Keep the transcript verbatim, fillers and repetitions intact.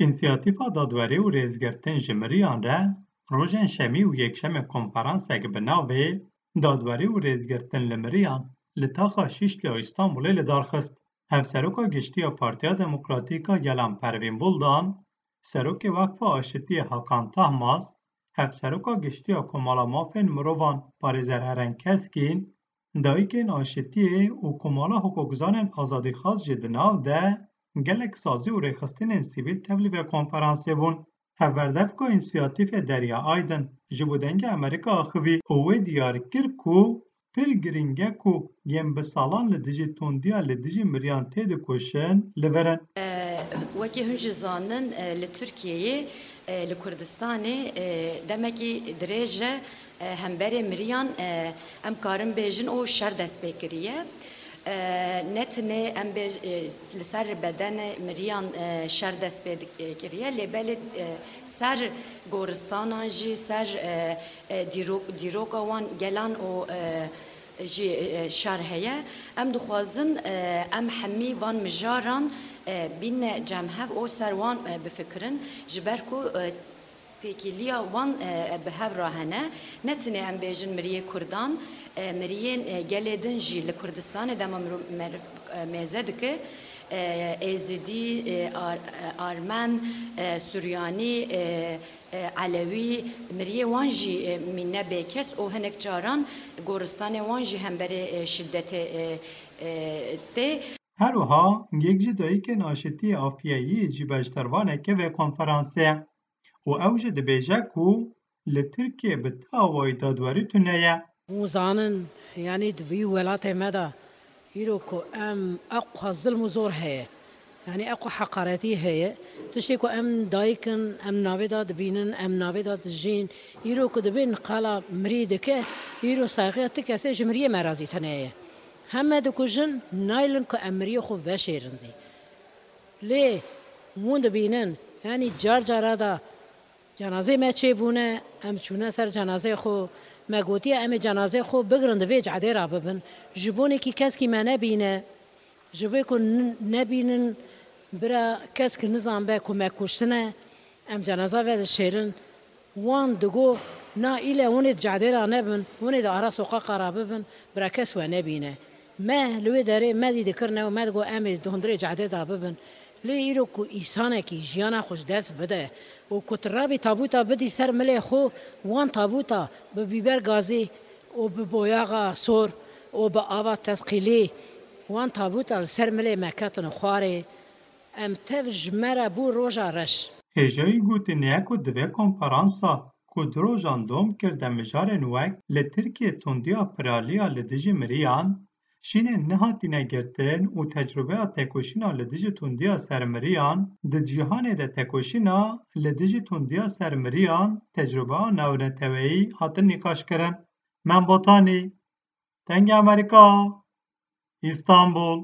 Însiyatîfa Dadwerî û Rêzgirtin ji Miriyan re rojên Şemî û Yekşemê konferansek bi navê Dadwerî û Rêzgirtin li Miriyan li taxa Şîşliya Îstanbulê li dar xist. Hevseroka Giştî ya Partiya Demokratîk a Gelan Pervîn Buldan, Serokê Weqfa Aşitiyê Hakan Tahmaz, Hevseroka Giştî ya Komala Mafên Mirovan Parêzer Eren Keskîn, Dayikên Aşitiyê û Komala Hukukzanên Azadîxwaz jî di nav de gelek sazî û rêxistinên sivîl tevlî vê konferansê bûn. Hevberdevka Însiyatîfê Derya Aydin ji bo Dengê Amerîka axivî û wê diyar kir ku pir girîng e ku yên bi salan li dijî tundiya li dijî miriyan têdikoşin li vir in. Wekî hûn jî zanin, e, li Tirkiyeyê, e, li Kurdistanê, e, demekî dirêj e, e, hemberê miriyan, e, em karin bêjin û şer dest pê kiriye. E, ne tenê em bê, e, li ser bedenê miriyan, e, şer dest pê dik-, e, kiriye, lê belê, e, ser goristanan jî, ser, e, e, dîrok-, dîroka wan gelan û, e, jî, e, şer heye. Em dixwazin, e, em hemî van mijaran, e, bîne cem hev û ser wan, e, bifikirin, ji ber ku, e, têkiliya wan, e, bi hev re hene. Ne tenê em bêjin miriyê Kurdan, e, miriyên, e, gelê din jî li Kurdistanê dema miro-, meriv, e, mêze dike, e, Êzidî, e, Ar-, e, Armen, e, Suryanî, e, e, Elewî, miriyê wan jî, e, mîne bêkes û hinek caran goristanê wan jî hemberê, e, şidetê, e, e, tê. Her wiha yek ji dayikên aşitiyê Afiyeyî jî beşdarvaneke vê konferansê ye û ew jî dibêje ku li Tirkiyê bi ti awayî dadwerî tune ye. Hûn zanin, yanî di vî welatê me de îro ku em eqwa zilm û zor heye, yanî eqwa heqaretî heye, tiştê ku em dayik in, em navê de dibînin, em navê de dijîn, îro ku dibên qala mirî dike, îro saxiya ti kesê ji miriyê me re zî tune ye. Heme dikujin, naylin ku em miriyê xwe veşêrin zî. Lê hûn dibînin, yanî car cara da cenazeyê me çêbûne, em çûne ser cenazeyê xwe, me gotiye em ê cenazeyê xwe bigirin di vê cehdê re bibin. Ji bonekî keskî me nebîne, ji bo ku n-, nebînin bira kesk nizanbe ku me kuştine, em cenaza vedişêrin. Wan digo, na île hûn ê di cadê ra nebin, hûn ê di ara soqaqa ra bibin, bira kes we nebîne. Me li wê derê me zî dikirine û me digo em ê di hundirê cadê da bibin. Lê îro ku îsanekî jiyana xwe ji dest bide û ku tu rabî tabûta bidî ser milê xwe, wan tabûta bi bîber gazî û bi boyaxa sor û bi ava tesqîlî, wan tabûta li ser milê me ketine xwarê. Em tev ji me re bû roja reş. Hêjayî gotinê ye ku di vê konferansa ku du rojan dom kir de mijarên wek li Tirkiyê tundiya piraliya li dijî miriyan, şînên nehatîne girtin û tecrûbeya têkoşîna li dijî tundiya ser miriyan di cîhanê de têkoşîna li dijî tundiya ser miriyan tecrûbeya navneteweyî hatin nîqaşkirin. Mem Botanî, Dengê Amerîka, Îstanbul.